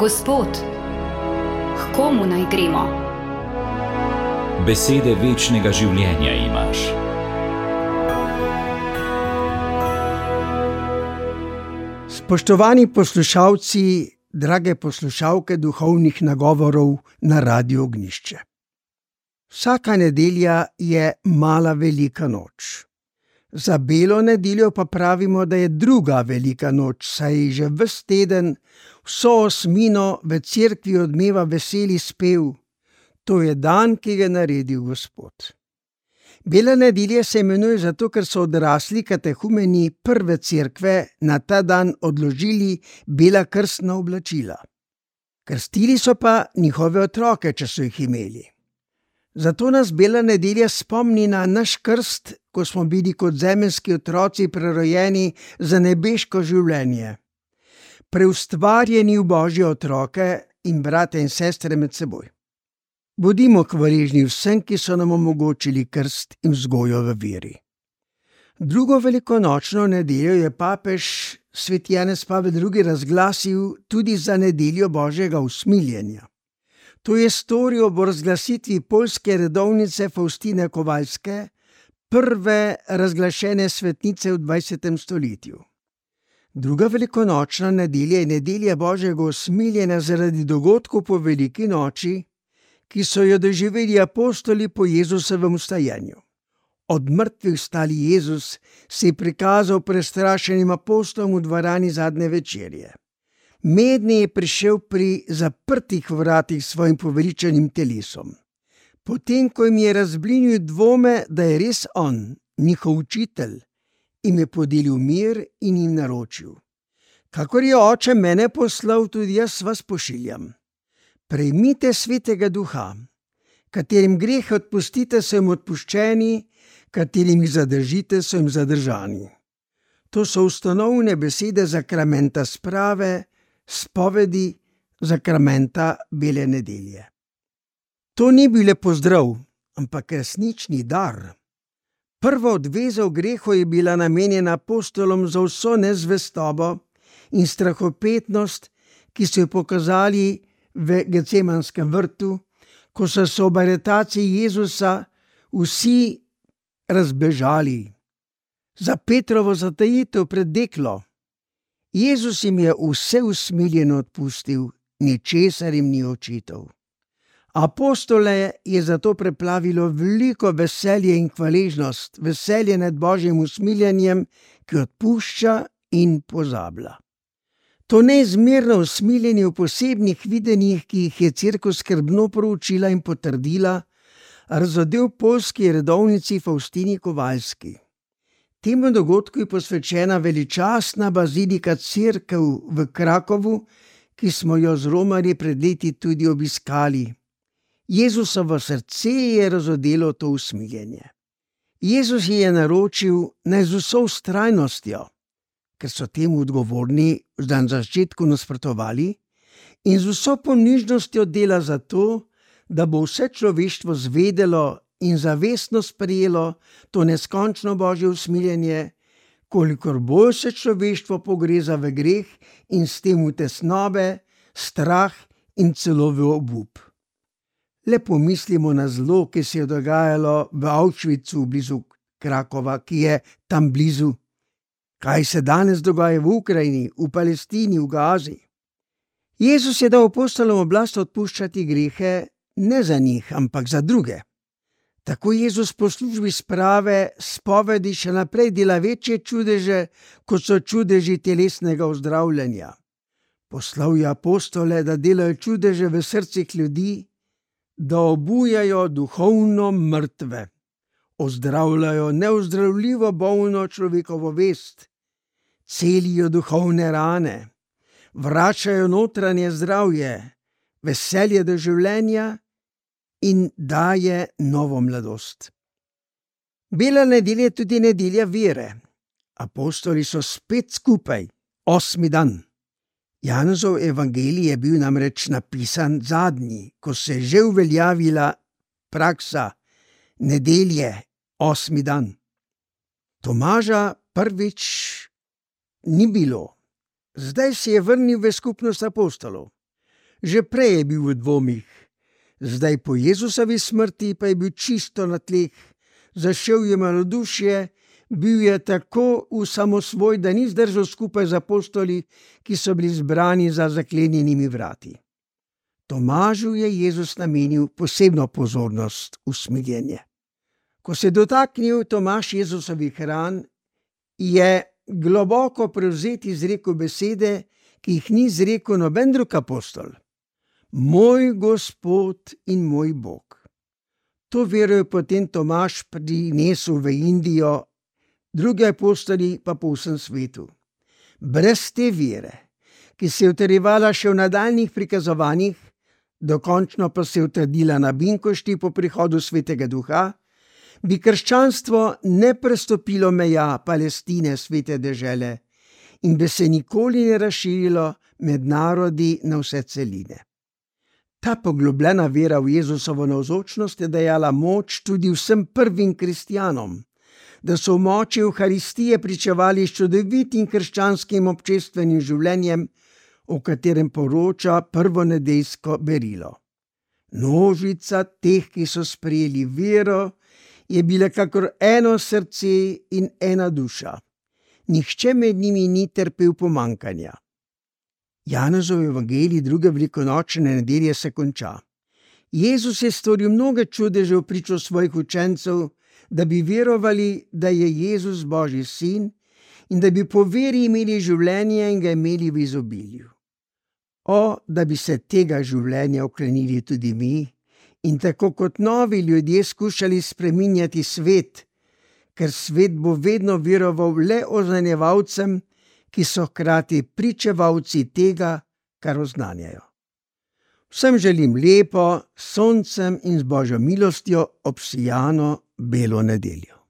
Gospod, k komu naj gremo? Besede večnega življenja imaš. Spoštovani poslušalci, drage poslušalke duhovnih nagovorov na Radiu Ognjišče. Vsaka nedelja je mala velika noč. Za belo nedeljo pa pravimo, da je druga velika noč, saj že ves teden vso osmino v cerkvi odmeva veseli spev. To je dan, ki ga je naredil Gospod. Bela nedelja se imenuje zato, ker so odrasli katehumeni prve cerkve na ta dan odložili bela krstna oblačila. Krstili so pa njihove otroke, če so jih imeli. Zato nas bela nedelja spomni na naš krst, ko smo bili kot zemeljski otroci prerojeni za nebeško življenje. Preustvarjeni v Božje otroke in brate in sestre med seboj. Bodimo hvaležni vsem, ki so nam omogočili krst in vzgojo v veri. Drugo velikonočno nedeljo je papež sveti Janez Pavel II. Razglasil tudi za nedeljo Božjega usmiljenja. To je storil ob razglasitvi poljske redovnice Faustine Kovalske, prve razglašene svetnice v 20. stoletju. Druga velikonočna nedelja je nedelja Božjega usmiljenja zaradi dogodkov po veliki noči, ki so jo doživeli apostoli po Jezusovem vstajanju. Od mrtvih vstali Jezus se je prikazal prestrašenim apostolom v dvorani zadnje večerje. Mednje je prišel pri zaprtih vratih svojim poveličanim telesom. Potem, ko jim je razblinil dvome, da je res on, njihov učitelj, jim je podelil mir in jim naročil: kakor je Oče mene poslal, tudi jaz vas pošiljam. Prejmite svetega duha, katerim greh odpustite, so jim odpuščeni, katerim jih zadržite, so jim zadržani. To so ustanovne besede zakramenta sprave, spovedi zakramenta bele nedelje. To ni bil le pozdrav, ampak resnični dar. Prva odveza v grehu je bila namenjena apostolom za vso nezvestobo in strahopetnost, ki so jo pokazali v Gecemanskem vrtu, ko so se ob aretaciji Jezusa vsi razbežali. Za Petrovo zatajitev pred deklo. Jezus jim je vse usmiljeno odpustil, ničesar jim ni očital. Apostole je zato preplavilo veliko veselje in hvaležnost, veselje nad Božjim usmiljenjem, ki odpušča in pozablja. To neizmerno usmiljenje v posebnih videnjih, ki jih je cerkev skrbno proučila in potrdila, razodel poljski redovnici Faustini Kovalski. Temu dogodku je posvečena veličastna bazilika cerkev v Krakovu, ki smo jo z romarji pred leti tudi obiskali. Jezusovo srce je razodelo to usmiljenje. Jezus je naročil, naj z vso vztrajnostjo, ker so temu odgovorni na začetku nasprotovali, in z vso ponižnostjo dela za to, da bo vse človeštvo zvedelo in zavestno sprejelo to neskončno Božje usmiljenje, kolikor bolj se človeštvo pogreza v greh in s tem v tesnobe, strah in celo v obup. Le pomislimo na zlo, ki se je dogajalo v Auschwitzu blizu Krakova, ki je tam blizu. Kaj se danes dogaja v Ukrajini, v Palestini, v Gazi? Jezus je dal apostolom oblast odpuščati grehe ne za njih, ampak za druge. Tako Jezus po službi sprave, spovedi še naprej dela večje čudeže, kot so čudeži telesnega ozdravljanja. Poslal je apostole, da delajo čudeže v srcih ljudi, da obujajo duhovno mrtve, ozdravljajo neozdravljivo bolno človekovo vest, celijo duhovne rane, vračajo notranje zdravje, veselje do življenja in daje novo mladost. Bela nedelja je tudi nedelja vere. Apostoli so spet skupaj, 8. dan. Janezov evangelij je bil namreč napisan zadnji, ko se je že uveljavila praksa nedelje, 8. dan. Tomaža prvič ni bilo. Zdaj se je vrnil v skupnost apostolov. Že prej je bil v dvomih, zdaj po Jezusovi smrti pa je bil čisto na tleh, zašel je malodušje, bil je tako v samosvoj, da ni zdržal skupaj z apostoli, ki so bili zbrani za zaklenjenimi vrati. Tomažu je Jezus namenil posebno pozornost, usmiljenje. Ko se je dotaknil Tomaž Jezusovih ran, je globoko prevzeti izrekel besede, ki jih ni izrekel noben drug apostol. Moj Gospod in moj Bog. To vero je potem Tomaž prinesel v Indijo, drugi apostoli pa po vsem svetu. Brez te vere, ki se je utrjevala še v nadaljnjih prikazovanjih, dokončno pa se je utrdila na Binkošti po prihodu Svetega Duha, bi krščanstvo ne prestopilo meja Palestine, svete dežele, in bi se nikoli ne razširilo med narodi na vse celine. Ta poglobljena vera v Jezusovo navzočnost je dajala moč tudi vsem prvim kristjanom, da so v moči Evharistije pričevali s čudovitim krščanskim občestvenim življenjem, o katerem poroča prvonedeljsko berilo. Množica teh, ki so sprejeli vero, je bila kakor eno srce in ena duša. Nihče med njimi ni trpel pomanjkanja. Janezov evangelij druge velikonočne nedelje se konča. Jezus je storil mnoge čudeže v pričo svojih učencev, da bi verovali, da je Jezus Božji sin in da bi po veri imeli življenje in ga imeli v izobilju. O, da bi se tega življenja oklenili tudi mi in tako kot novi ljudje skušali spreminjati svet, ker svet bo vedno veroval le oznanjevalcem, ki so hkrati pričevalci tega, kar oznanjajo. Vsem želim lepo, s soncem in z Božjo milostjo obsijano belo nedeljo.